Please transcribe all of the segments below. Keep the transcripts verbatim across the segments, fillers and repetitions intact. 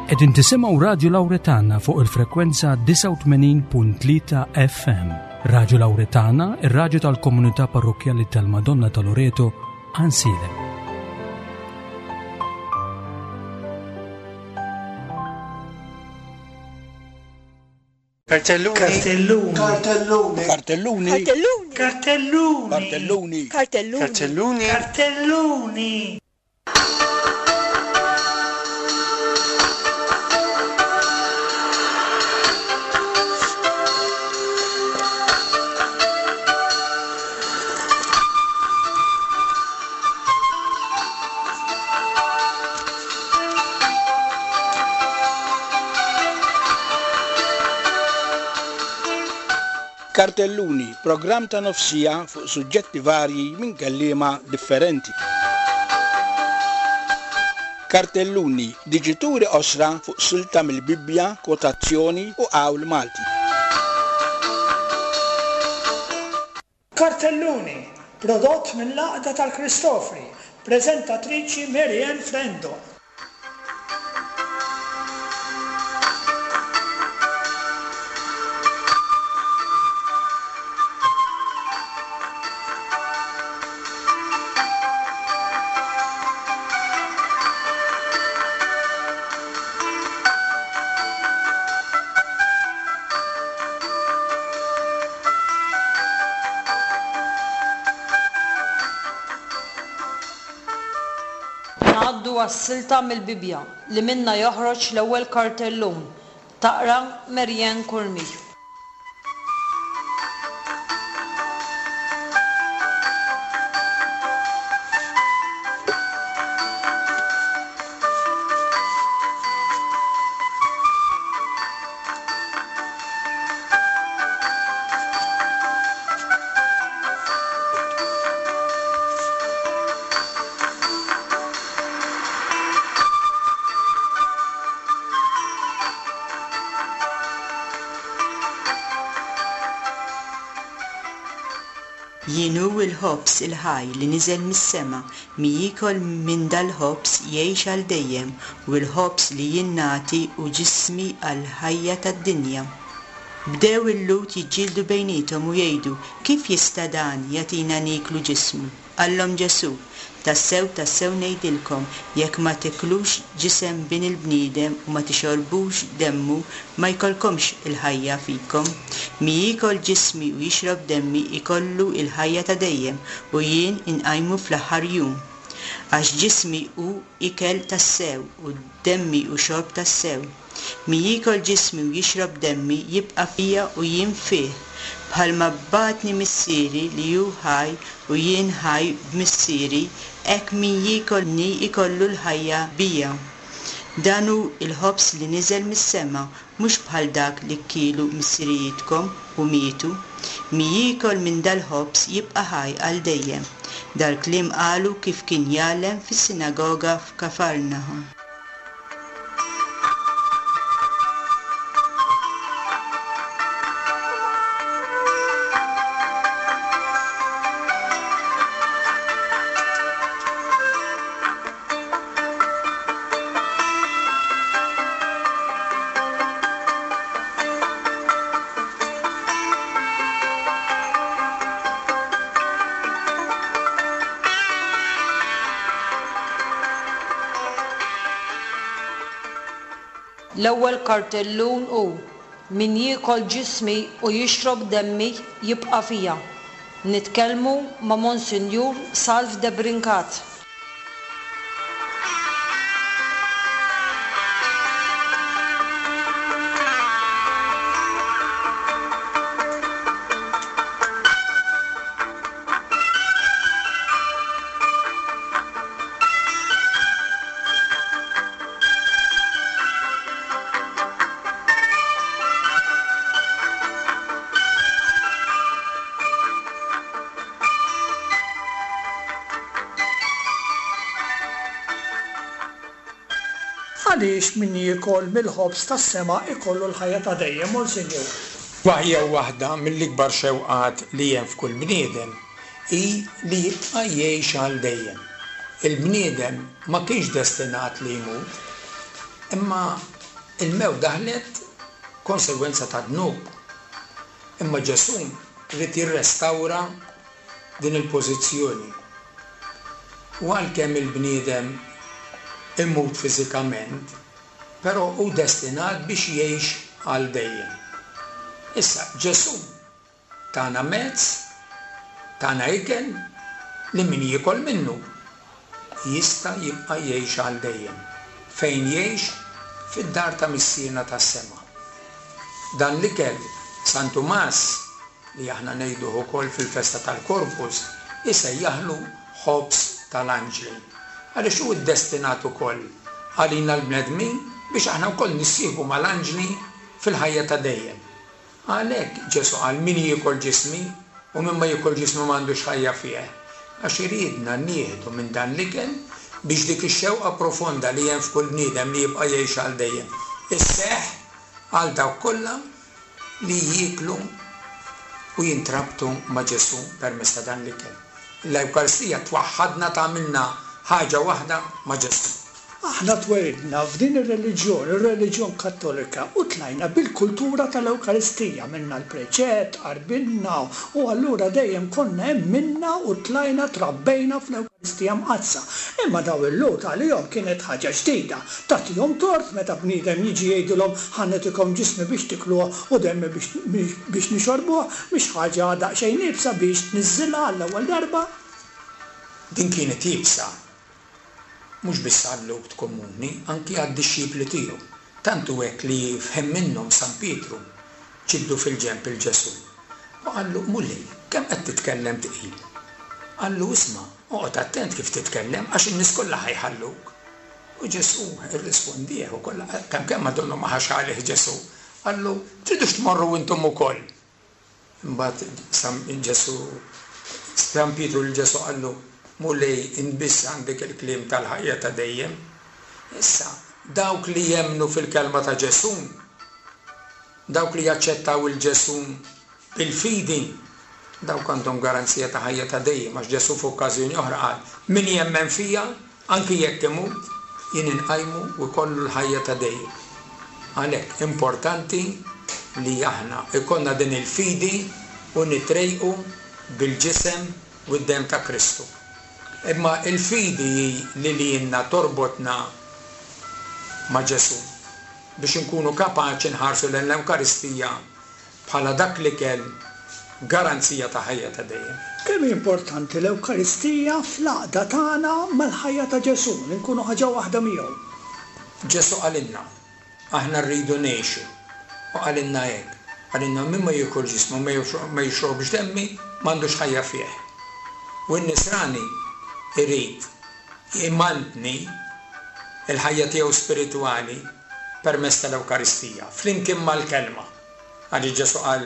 Qegħdin tisimgħu Radju Lawretana fuq il-frekwenza disgħa u tmenin punt tlieta F M. Radju Lawretana, ir-radju tal-komunità parrokkjali tal-Madonna ta' Loreto, Għajnsielem. Kartelluni. Kartelluni. Kartelluni. Kartelluni. Kartelluni. Kartelluni. Kartelluni. Kartelluni. Kartelluni. Kartelluni. Kartelluni, programm ta' nofsija fuq suġġetti varji minn kelliema differenti. Kartelluni, diġituri osra fuq silta mill-Bibbja, kwotazzjoni u qawl Malti. Kartelluni, prodott mill-Għaqda tal-Kristofri, prezentatriċi Marianne Frendo. Ngħaddu għas-silta mill-Bibbja li minna joħroġ l-ewwel kartellun. Taqra Marianne Curmi. Jien hu l-ħobż il-ħaj li niżel mis-sema, min jiekol minn dal-ħobż jgħix għal dejjem, u l-ħobż li jien nagħti hu ġismi għall-ħajja tad-dinja. Bdew il-Lhud jiġġieldu bejniethom u jgħidu, kif jista' dan jagħtina nieklu ġismu? Qallhom Ġesù, tassew tassew ngħidilkom, jekk ma tiklux ġisem bin il-bniedem u ma tixorbux demmu, ma jkollkomx il-ħajja fikom. Min jiekol ġismi u jixrob demmi ikollu il-ħajja ta' dejjem, u jien inqajmu fl-aħħar jum. Għax ġismi hu ikel tassew u demmi hu xorb tassew. Min jiekol ġismi u jixrob demmi jibqa' fija u jien fih. Bħalma bagħatni missieri li hu ħaj u jien ħaj b'missieri, hekk min jiekolni ikollu l-ħajja bija. Dan hu l-ħobż li niżel mis-sema, mhux bħal dak li kielu missirijietkom u mietu. Min jiekol minn dal-ħobż jibqa' ħaj għal dejjem. Dal-kliem qalu kif kien jgħallem fis-sinagoga f'Kafarnahum. L-ewwel kartellun hu min jiekol ġismi u jixrob demmi jibqa' fija. Nitkellmu ma' Monsinjur Salv Debrincat. Għaliex min jiekol mill-ħobż tas-sema ikollu l-ħajja ta' dejjem, Monsinjur? Waħja waħda mill-ikbar xewqat li hemm f'kull bniedem hi li jibqa' jgħix għal dejjem. Il-bniedem ma kienx destinat li jmut, imma Il-mewt daħlet konsegwenza ta' dnub. Imma Ġesù ried jirrestawra din il-pożizzjoni. U għalkemm il-bniedem imut fiżikament, però hu destinat biex jgħix għal dejjem. Issa Ġesù tana mezz, tana ikel li min jiekol minnu jista' jibqa' jgħix għal dejjem. Fejn jgħix? Fid-dar ta' Missierna tas-sema. Dan l-ikel San Tumas, li aħna ngħiduh ukoll fil-festa tal-Corpus, isejjaħlu ħobż tal-anġli. Għaliex hu ddestinat ukoll għalina l-bnedmin biex aħna wkoll nissieħbu mal-anġli fil-ħajja ta' dejjem. Għalhekk Ġesù qal min jiekol ġismi u min ma jiekol ġismi m'għandux ħajja fih. Għax iridna nieħdu minn dan l-ikel biex dik ix-xewqa profonda li hemm f'kull bniedem li jibqa' jgħix għal dejjem isseħħ għal dawk kollha li jieklu u jintrabtu ma' Ġesù permezz ta' dan l-ikel. L-Ewkaristija twaħħadna, tagħmilna ħaġa waħda ma' Ġesù. Aħna twelidna f'din ir-reliġjon, ir-reliġjon Kattolika, u tlajna bil-kultura tal-Ewkaristija, minna l-preċett, qarbinna, u allura dejjem konna hemm minna u tlajna trabbejna fl-Ewkaristija Mqaddsa. Imma daw il-Lhud għalihom kienet ħaġa ġdida. Tagħtihom tort meta bniedem jiġi jgħidilhom ħa nagħtikom ġismi biex tikluh u demmi biex, biex nixorbuh, mhix ħaġa daqsxejn iebsa biex tniżżilha għall-ewwel darba. Din kienet iebsa mhux biss għal-Lhud komuni, anki għad-dixxipli tiegħu. Tant hu hekk li fhem minnhom San Pietru ġibdu fil-ġenb il Ġesù. U qallu, Mulej, kemm qed titkellem tqil? Qallu, isma', oqgħod attent kif titkellem għax in-nies kollha ħajħalluk. U Ġesù irrispondih ukoll, kemm kemm madonnu ma ħax għalih Ġesù. Qallu, tridux tmorru intom ukoll. Imbagħad San Ġesù, San Pietru lil Ġesù qallu, Mulej, inbiss għandek il-kliem tal-ħajja ta' dejjem. Issa, dawk li jemmnu fil-kelma ta' Ġesù, dawk li jaċċettaw il-Ġesù bil-fidi, dawk għandhom garanzija ta' ħajja ta' dejjem, għax Ġesù f'okkażjoni oħra qal, min jemmen fija, anki jekk imut, jien inqajmu u jkollu l-ħajja ta' dejjem. Għalhekk importanti li aħna ikollna din il-fidi u nitrejqu bil-ġisem u d-dem ta' Kristu. Imma il-fidi hi li lilna torbotna ma' Ġesù biex inkunu kapaċi nħarsu lejn l-Ewkaristija bħala dak l-ikel garanzija ta' ħajja ta' dejjem. Kemm hi importanti l-Ewkaristija fl-għaqda tagħna mal-ħajja ta' Ġesù, li nkunu ħaġa waħda miegħu. Ġesù qalilna, aħna rridu ngħixu. U qalilna hekk, qalilna min ma jiekol ġismu ma jixrobx demmi m'għandux ħajja fih. U n-nisrani irid imantni il-ħajja tiegħu spiritwali permezz tal-Ewkaristija, flimkien mal-kelma. Għaliex Ġesù qal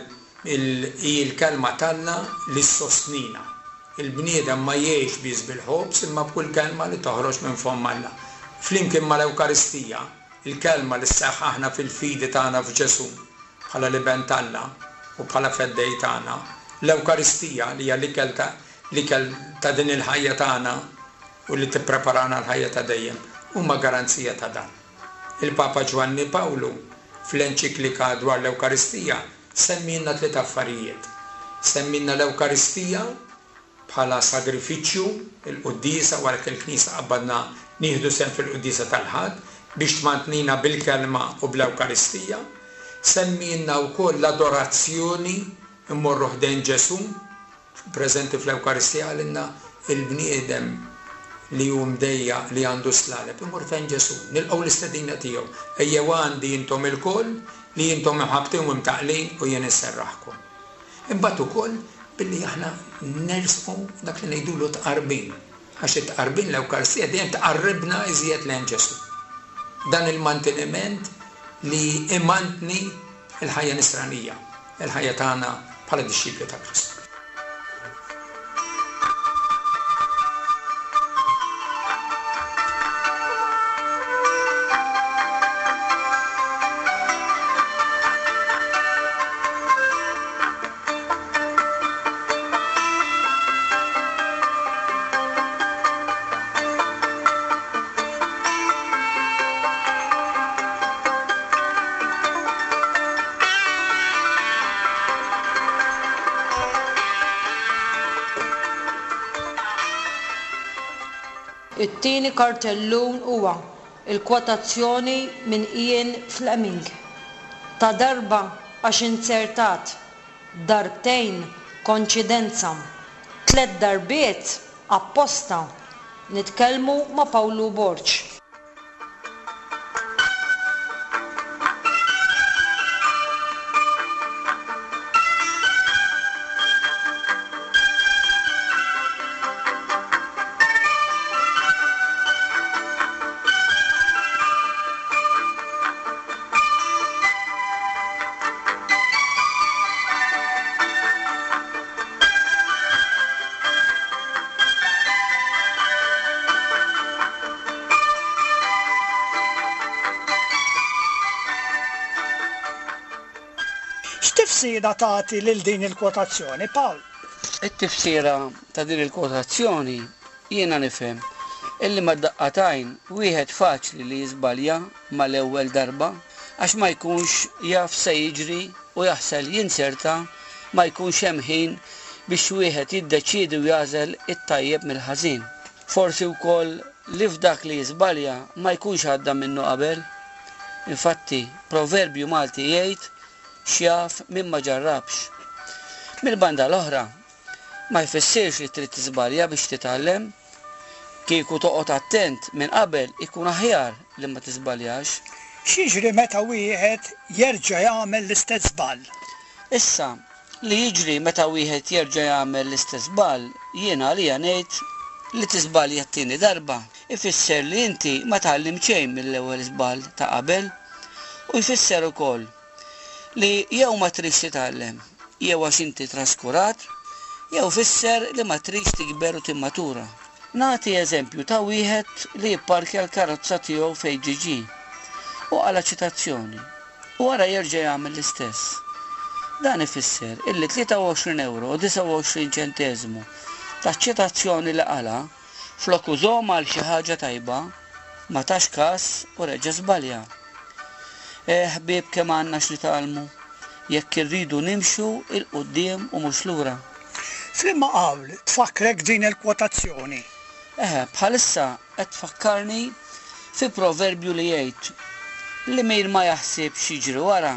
hi l-kelma t'Alla li ssostnina. Il-bniedem ma jgħix biss bil-ħobż imma b'kull kelma li toħroġ minn fomm Alla. Flimkien mal-Ewkaristija, il-kelma li ssaħħaħna fil-fidi tagħna f'Ġesù bħala l-Iben t'Alla u bħala feddej tagħna, l-Ewkaristija li hija l-ikel ta' l-ikel ta' din il-ħajja tagħna u li tippreparana l-ħajja ta' dejjem, huma garanzija ta' dan. Il-Papa Ġwanni Pawlu fl-enċiklika dwar l-Ewkaristija semmilna tliet affarijiet. Semmilna l-Ewkaristija bħala sagrifiċċju, il-quddiesa, wara li l-Knisja qabbadna nieħdu sehem fil-quddiesa tal-Ħadd biex tmantnina bil-kelma u bl-Ewkaristija. Semmilna wkoll l-adorazzjoni, immorru ħdejn Ġesù preżenti fl-Ewkaristija, għalina il-bniedem li hu mdejja li għandu slaleb, imur fejn Ġesù, nilqgħu l-istedina tiegħu. Ejjew għandi intom ilkoll li intom imħabbtin u mtaqlin u jien inserraħkom. Imbagħad ukoll billi aħna nersqu dak li ngħidulu tqarbin, għax it-tqarbin l-Ewkaristija dejjem tqarribna iżjed lejn Ġesù. Dan il-manteniment li imantni il-ħajja nisranija, il-ħajja tagħna bħala dixxipli ta' Kristu. It-tieni kartellun huwa il-kwotazzjoni minn Ian Fleming. Ta' darba għax inzertat, darbtejn konċidenza, tliet darbiet apposta. Nitkellmu ma' Pawlu Borg. X'tifsira tagħti lil din il-kwotazzjoni, Pawl? It-tifsira ta' din il-kwotazzjoni jiena nifhem illi mad-daqqa t'għajn wieħed faċli li jiżbalja mal-ewwel darba għax ma jkunx jaf se jiġri u jaħsel jinserta ma jkunx hemm ħin biex wieħed jiddeċiedi u jagħżel it-tajjeb mill-ħażin. Forsi wkoll li f'dak li jiżbalja ma jkunx għadda minnu qabel. Infatti, proverbju Malti jgħid x'jaf min ma ġarrabx. Mill-banda l-oħra, ma jfissirx li trid tiżbalja biex titgħallem. Kieku toqgħod attent minn qabel ikun aħjar li ma tiżbaljax. X'jiġri meta wieħed jerġa' jagħmel l-istess żball? Issa, li jiġri meta wieħed jerġa' jagħmel l-istess żball, jiena għalija ngħid li tiżbalja t-tieni darba ifisser li inti ma tgħallimt xejn mill-ewwel żball ta' qabel u jfisser ukoll li jew ma tridx titgħallem, jew għax inti traskurat, jew fisser li ma tridx tikber u timmatura. Nagħti eżempju ta' wieħed li jipparkja l-karozza tiegħu fejn ġie u qala ċitazzjoni u wara jerġa' jagħmel l-istess. Dan ifisser illi tlieta u għoxrin euro u disgħa u għoxrin ċenteżmu ta' ċitazzjoni li qala flok użhom għal xi ħaġa tajba ma tax każ u reġa' żbalja. Eh, ħbieb, kemm għandna x'nitgħallmu jekk irridu nimxu 'l quddiem u mhux lura. F'liema qawl tfakkrek din il-kwotazzjoni? Eħe, bħalissa qed tfakkarni fi proverbju li jgħid li min ma jaħsibx jiġri wara,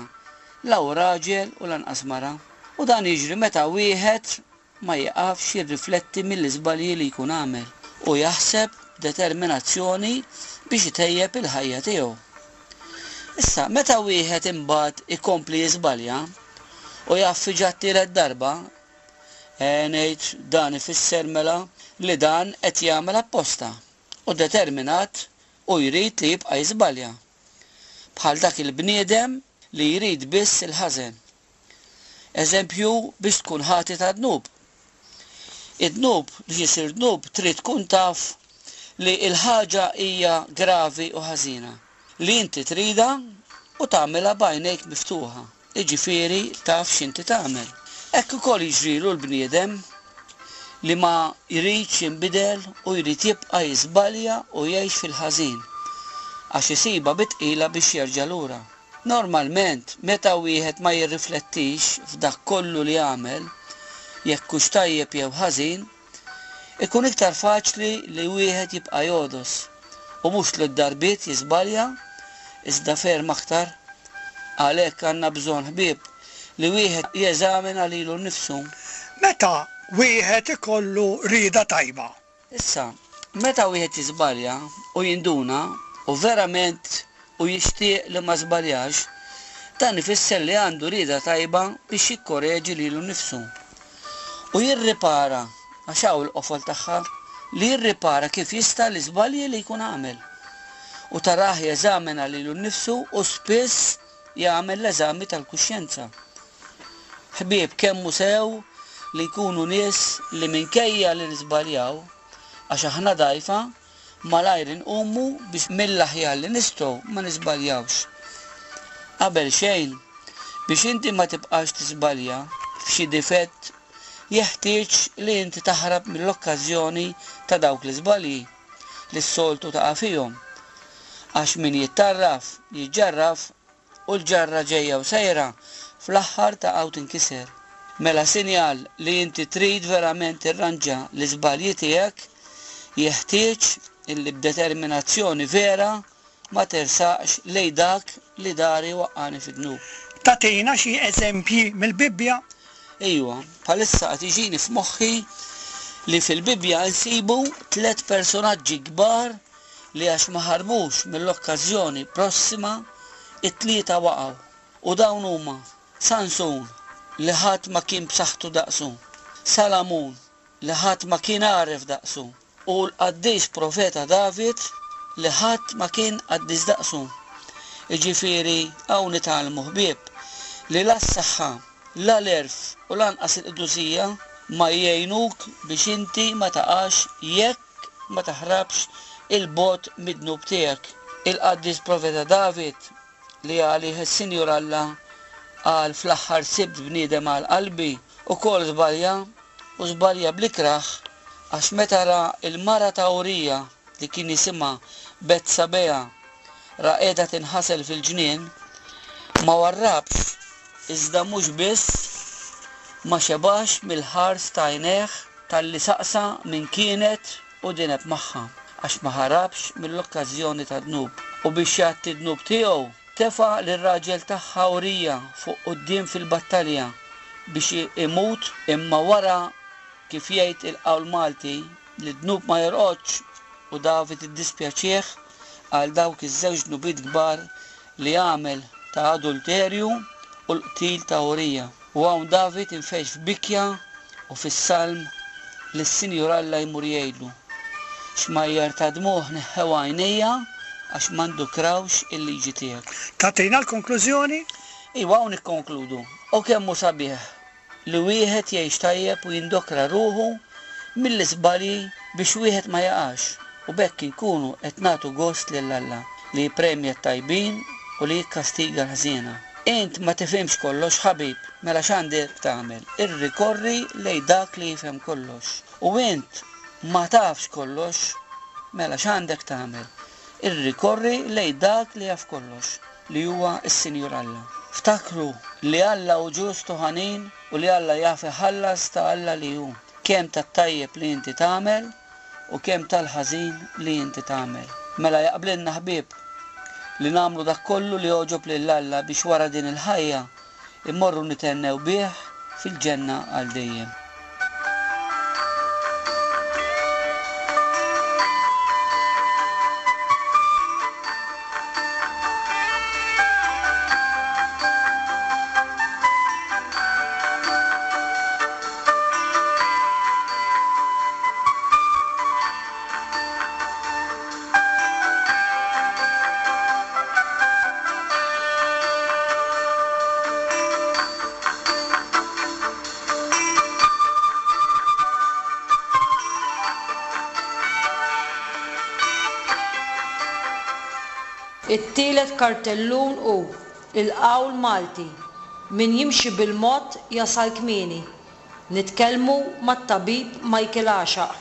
la hu raġel u lanqas mara. U dan jiġri meta wieħed ma jieqafx jirrifletti mill-iżbalji li jkun għamel u jaħseb b'determinazzjoni biex itejjeb il-ħajja tiegħu. Issa, meta wieħed imbagħad ikompli jiżbalja u jaffiġa t-tielet darba, e, ngħid dan ifisser mela li dan qed jagħmel apposta u determinat u jrid li jibqa' jiżbalja. Bħal dak il-bniedem li jrid biss il-ħażen. Eżempju biex tkun ħati ta' dnub. Id-dnub biex isir dnub trid tkun taf li l-ħaġa hija gravi u ħażina, li inti trida u tagħmilha b'għajnejk miftuħa, jiġifieri taf x'inti tagħmel. Hekk ukoll jiġrilu l-bniedem li ma jridx jinbidel u jrid jibqa' jiżbalja u jgħix fil-ħażin, għax isibha bi tqila biex jerġa' lura. Normalment, meta wieħed ma jirriflettix f'dak kollu li għamel, jekk hux tajjeb jew ħażin, ikun iktar faċli li wieħed jibqa' jogħdos u mhux tliet darbiet jiżbalja, iżda ferm aktar. Għalhekk għandna bżonn ħbieb li wieħed jeżamina lilu nnifsu. Meta wieħed ikollu rieda tajba? Issa, meta wieħed jiżbalja u jinduna u verament u jixtieq li ma żbaljax, dan ifisser li għandu rieda tajba biex jikkoreġi lilu nnifsu. U jirripara, għax hawn il-qofol tagħha, li jirripara kif jista' l-iżbalji li jkun għamel. U tarah jeżamina lilu nnifsu u spiss jagħmel l-eżami tal-kuxjenza. Ħbieb, kemm hu sew li nkunu nies li minkejja li niżbaljaw, għax aħna dgħajfa, malajr inqumu biex mill-aħjar li nistgħu ma niżbaljawx. Qabel xejn, biex inti ma tibqax tiżbalja f'xi difett, jeħtieġ li inti taħrab mill-okkażjoni ta' dawk l-iżbalji li s-soltu taqa' fihom. Għax min jittarraf, jiġġarraf u l-ġarra ġejja u sejra fl-aħħar taqa' u tinkiser. Mela sinjal li inti trid verament tirranġa l-iżbalji tiegħek, jeħtieġ illi b'determinazzjoni vera ma tersaqx lejn dak li dari waqqani fid-dnub. Tagħtina xi eżempji mill-Bibbja? Ejwa, bħalissa qed jiġini f'moħħi li fil-Bibbja nsibu tliet personaġġi kbar li għax ma ħarbux mill-okkażjoni prossima it-tlieta waqgħu. U dawn huma Sansun li ħadd ma kien b'saħħtu daqsu, Salamun li ħadd ma kien għaref daqsu, u l-qaddis profeta David li ħadd ma kien qaddis daqsu. Jiġifieri hawn nitgħallmu ħbieb li la s-saħħa, la l-għerf u lanqas il-qdusija ma jgħinuk biex inti ma taqax jekk ma taħrabx il-bogħod mid-dnub tiegħek. Il-qaddis profeta David li għalih is-Sinjur Alla qal fl-aħħar sibt bniedem għal qalbi ukoll żbalja u żbalja bl-ikrah għax meta ra l-mara ta' Urija li kien jisimha Betsabea ra qiegħda tinħasel fil-ġnien, ma warrabx iżda mhux biss ma xebax mill-ħars ta' għajnejh talli saqsa min kienet u dineb magħha għax ma ħarabx mill-okkażjoni ta' dnub. U biex jgħatti d-dnub tiegħu tefa' lir-raġel tagħha Urija fuq quddiem fil-battalja biex imut, imma wara kif jgħid il-qawl Malti li d-dnub ma jorqodx, u David iddispjaċih għal dawk iż-żewġ dnubiet kbar li għamel ta' adulterju u l-qtil ta' Urija. U hawn David infeġ f'bikja u fis-salm li s-Sinjur Alla jmur jgħidlu: xmajjar ta' dmuħ neħħew għajnejja għax m'għandukrawx il-liġi tiegħek. Tagħtina l-konklużjoni? Iwa, hawn nikkonkludu. U kemm hu sabiħ li wieħed jgħix tajjeb u jindokra ruħu mill-iżbalji biex wieħed ma jaqax, u b'hekk inkunu qed nagħtu gost lil Alla li jippremja t-tajbin u li jikkastiga l-ħżiena. Int ma tifhimx kollox ħabib, mela x'għandek tagħmel? Irrikorri lejn dak li jifhem kollox. U int ma tafx kollox, mela x'għandek tagħmel? Irrikorri lejn dak li jaf kollox, li huwa s-Sinjur Alla. Ftakru li Alla hu ġust u ħanin u li Alla jaf iħallas ta' Alla li hu, kemm tat-tajjeb li inti tagħmel u kemm tal-ħażin li inti tagħmel. Mela jaqblilna ħbieb li nagħmlu dak kollu li jogħġob lil Alla biex wara din il-ħajja immorru nitennew bih fil-ġenna għal dejjem. It-tielet kartellun hu il-qawl Malti: min jimxi bil-mod jasal kmieni. Nitkellmu mat-tabib Michael Għaxaq.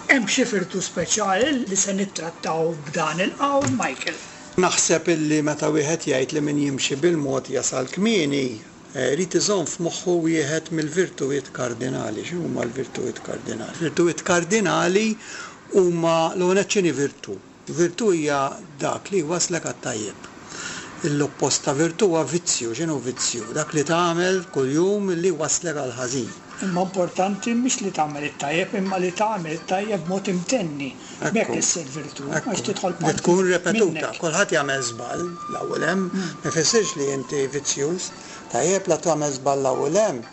Hemm xi virtu speċjali li se nittrattaw b'dan il-qawl, Michael? Naħseb illi meta wieħed jgħid li min jimxi bil-mod jasal kmieni, irid iżomm f'moħħu wieħed mill-virtujiet kardinali. X'inhuma l-virtujiet kardinali? Virtujiet kardinali huma l-ewwel nett x'inhi virtu? Virtu hija dak li jwaslek għat-tajjeb. L-oppost ta' virtu huwa vizzju. X'inhu vizzju? Dak li tagħmel kuljum li waslek għal ħażin. Imma importanti mhix li tagħmel it-tajjeb, imma li tagħmel it-tajjeb b'mod imtenni. Ekku. B'hekk issir virtu, Ekku. għax tidħol Li parti tkun repetuta. minnek. Kulħadd jagħmel żball l-ewwel hemm, ma jfissirx li inti vizzjuż. Tajjeb la tagħmel żball l-ewwel hemm,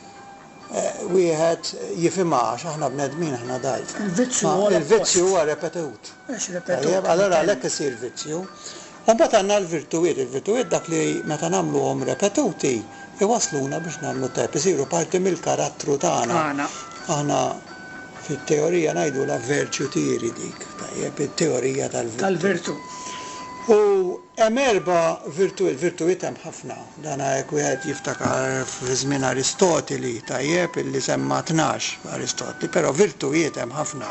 eh, wieħed jifhimha għax aħna bnedmin aħna dgħajfa. Il-vizzju Ma huwa l-oppost. il-vizzju huwa repetut. Għax repetut. Tajjeb, allora għalhekk isir vizzju. U mbagħad għandna l-virtuwiet, il-virtuwiet dak li meta nagħmluhom repetuti iwasluna biex nagħmlu tajjeb, isiru parti mill-karattru tagħna. Aħna fit-teorija ngħidulha virtue theory dik, tajjeb, it-teorija tal-virtù. Tal-virtù. U hemm erba' virtujiet, virtujiet hemm ħafna. Dan hekk wieħed jiftakar fi żmien Aristotili, tajjeb, illi semma tnax Aristotli, però virtujiet hemm ħafna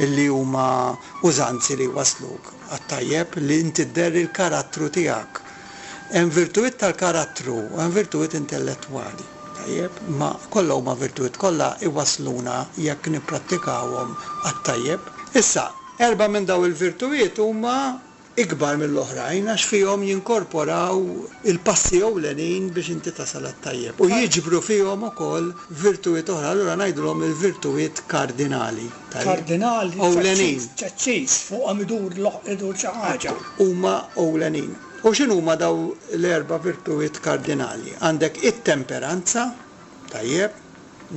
illi huma użanzi li wasluk għat-tajjeb li inti dderri l-karattru tiegħek. Hemm virtujiet tal-karattru u hemm virtujiet intellettwali, tajjeb, ma kollha huma virtujiet, kollha iwasluna jekk nipprattikawhom għat-tajjeb. Issa, erba' minn daw il-virtujiet huma ikbar mill-oħrajn għax fihom jinkorporaw il-passi ewlenin biex inti tasal għat-tajjeb. U jiġbru fihom ukoll virtujiet oħra, allura ngħidulhom il-virtujiet kardinali. Kardinali, ewlenin. Ċaċċis, fuqhom idur idur xi ħaġa. Huma ewlenin. U x'inhuma daw l-erba' virtujiet kardinali? Għandek it-temperanza, tajjeb,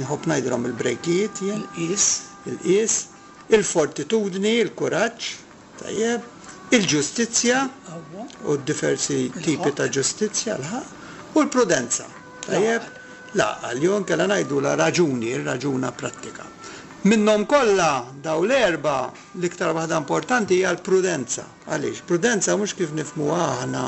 nħobb ngħidilhom il-brejkijiet jien. Il-qies. Il-qies, il-fortitudni, il-kuraġġ, tajjeb, il-ġustizzja u diversi tipi ta' ġustizzja, l-ħaqq, u l-prudenza. Tajjeb, l-għaqal, jew inkella ngħidu la raġuni, ir-raġuna prattika. Minnhom kollha daw l-erba' l-iktar waħda importanti hija l-prudenza. Għaliex? Prudenza mhux kif nifhmuha aħna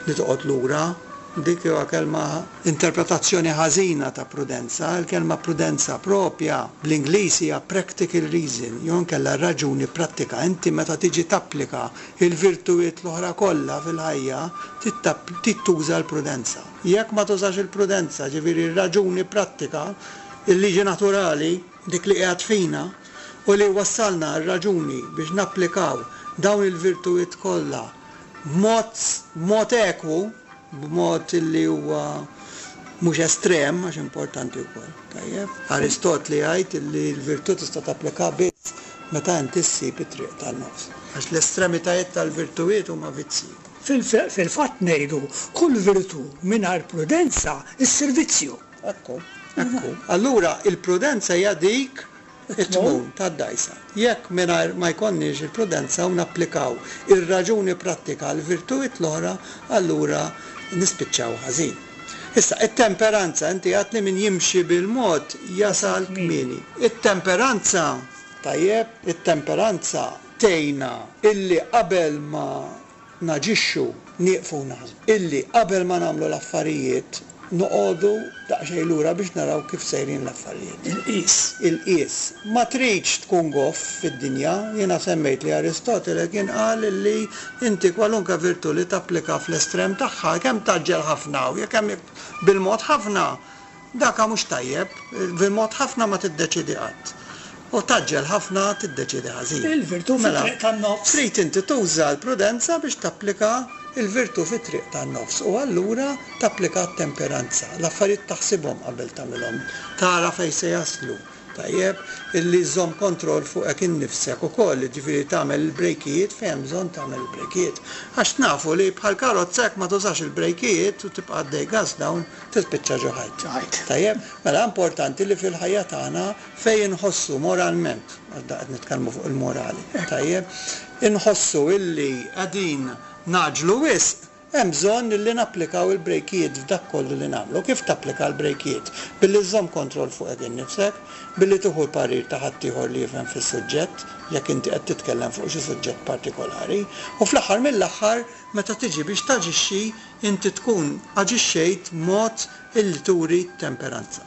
li toqgħod lura, dik huwa kelma interpretazzjoni ħażina ta' prudenza. Il-kelma prudenza propja bl-Ingliż hija practical reason, jew inkella raġuni prattika. Inti meta tiġi tapplika il-virtujiet l-oħra kollha fil-ħajja, trid tuża l-prudenza. Jekk ma tużax il-prudenza, ġifieri r-raġuni prattika, il-liġi naturali, dik li qiegħed fina u li wassalna r-raġuni biex napplikaw dawn il-virtujiet kollha b'mod, b'mod ekwu, b'mod li huwa mhux estrem, għax importanti wkoll. Tajjeb, Aristotli jgħid li l-virtù tista' tapplika biss meta inti ssib it-triq tan-nofs. Għax l-estremitajiet tal-virtujiet huma vizzji. Fil-fatt ngħidu kull virtù mingħajr prudenza issir vizzju. Ekku, ekku. Allura il-prudenza hija dik it-tmun tad-dajsa. Jekk mingħajr ma jkollniex il-prudenza u napplikaw ir-raġuni prattika għal virtujiet l-oħra, allura nispiċċaw ħażin. Issa, it-temperanza, inti għedt li min jimxi bil-mod jasal kmieni. It-temperanza, tajjeb, it-temperanza tgħinna illi qabel ma naġixxu nieqfu naħsbu. Illi qabel ma nagħmlu l-affarijiet noqogħdu daqsxejn lura biex naraw kif sejrin l-affarijiet. Il-qis. Il-qis. Ma tridx tkun goff fid-dinja. Jiena semmejt li Aristotele kien qal li inti kwalunka virtù li tapplika fl-estrem tagħha, kemm taġġel ħafna u jekk hemm bil-mod ħafna, daka mhux tajjeb, bil-mod ħafna ma tiddeċidi qatt. U taġġel ħafna tiddeċidi ħażin. Il-virtù Mela, fit-triq tan-nofs. Trid inti tuża l-prudenza biex tapplika il-virtù fit-triq tan-nofs u allura tapplika t-temperanza. L-affarijiet taħsibhom qabel tagħmilhom, tara fejn se jaslu. Tajjeb, illi żomm kontroll fuqek innifsek ukoll, jiġifieri tagħmel il-brejkijiet fejn hemm bżonn tagħmel il-brejkijiet. Għax nafu li bħal karozza jekk ma tużax il-brejkijiet u tibqa' għaddej gas down, tispiċċa ġo ħajt. Ħajt. Tajjeb, mela importanti li fil-ħajja tagħna fejn inħossu moralment, għax da qed nitkellmu fuq il-morali, tajjeb, inħossu illi qegħdin naġlu wisq, hemm bżonn li napplikaw il-brejkijiet f'dak kollu li nagħmlu. Kif tapplika l-brejkijiet? Billi żżomm kontroll fuqek innifsek, billi tieħu l-parir ta' ħaddieħor li jifhem fis-suġġett, jekk inti qed titkellem fuq xi suġġett partikolari, u fl-aħħar mill-aħħar meta tiġi biex taġixxi inti tkun aġixxejt mod illi turi temperanza.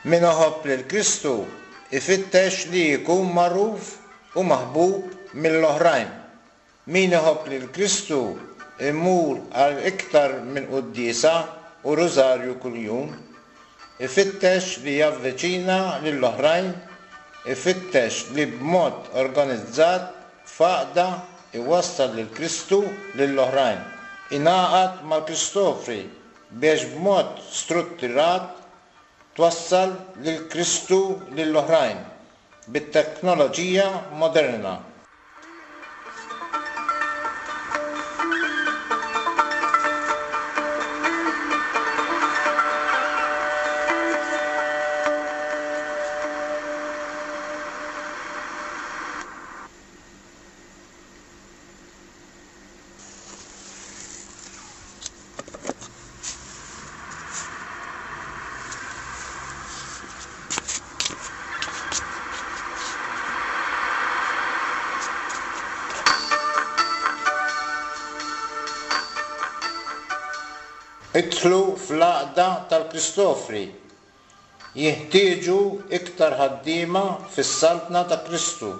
Min iħobb lil Kristu ifittex li jkun magħruf u maħbub mill-oħrajn. Min iħobb lil Kristu imur għal iktar minn quddiesa u rużarju kuljum, ifittex li javviċina lill-oħrajn, ifittex li b'mod organizzat f'għaqda iwassal lil Kristu lill-oħrajn. Ingħaqad mal-Kristofri biex b'mod strutturat twassal lil Kristu lill-oħrajn bit-teknoloġija moderna. Idħlu fl-għaqda tal-Kristofri. Jinħtieġu iktar ħaddiema fis-Saltna ta' Kristu.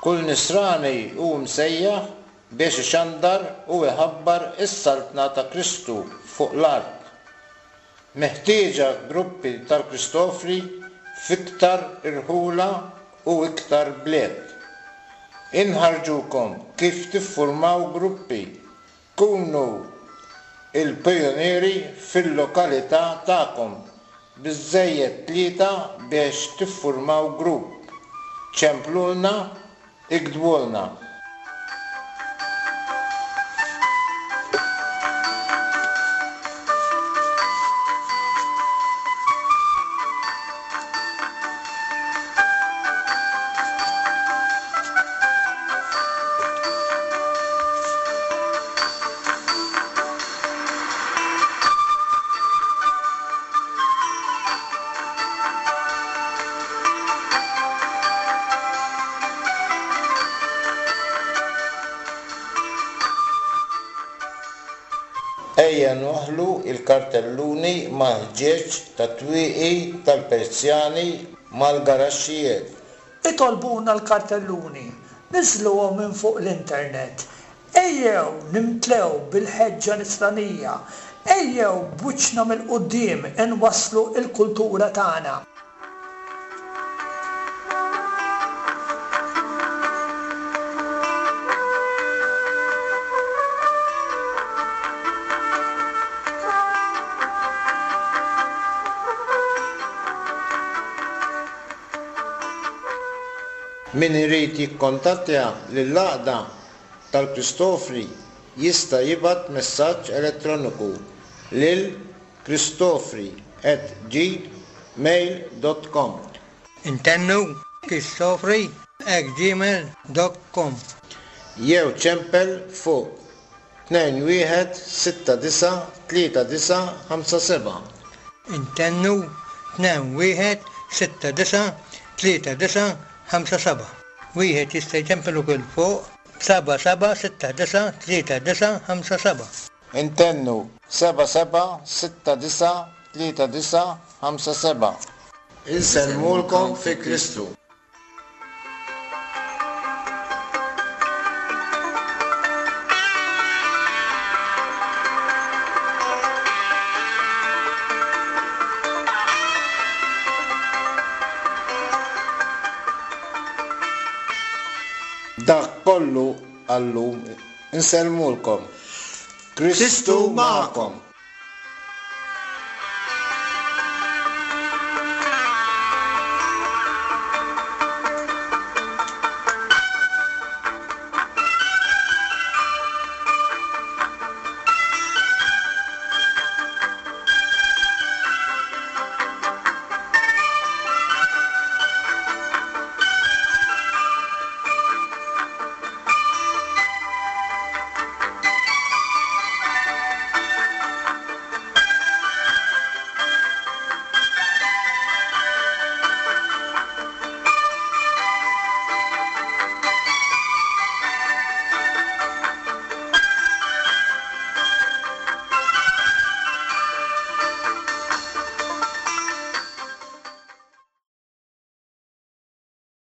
Kull nisrani hu msejjaħ biex ixandar u iħabbar is-Saltna ta' Kristu fuq l-art. Meħtieġa gruppi tal-Kristofri f'iktar irħula u iktar bliet. Inħarġukom kif tiffurmaw gruppi. Kunu il-pijunieri fil-lokalità tagħkom, biżżejjed tlieta biex tiffurmaw grupp. Ċemplulna, iktbulna. Ejja nwaħħlu l-kartelluni mal-ħġieġ tat-twieqi tal-Persjani mal-garaxxijiet. Itolbuna l-kartelluni, niżluhom minn fuq l-internet. Ejjew nimtlew bil-ħeġġa nisranija, ejjew b'wiċċna mill-quddiem inwasslu l-kultura tagħna. Min irid jikkontattja lill-għaqda tal-Kristofri jista' jibgħat messaġġ elettroniku lil kristofri at gmail dot com. Intennu kristofri at gmail dot com. Jew ċempel fuq tnejn wieħed sitta disa' tlieta disa' ħamsa seba'. Intennu tnejn wieħed sitta disa' tlieta disa' ħamsa seba'. Wieħed jista' jċempel ukoll fuq seba' seba' sitta disa' tlieta disa' ħamsa seba'. Intennu seba' seba' sitta disa' tlieta disa' ħamsa seba'. Insellmulkom fi Kristu. Dak kollu għallum insellmulkom. Kristu magħkom.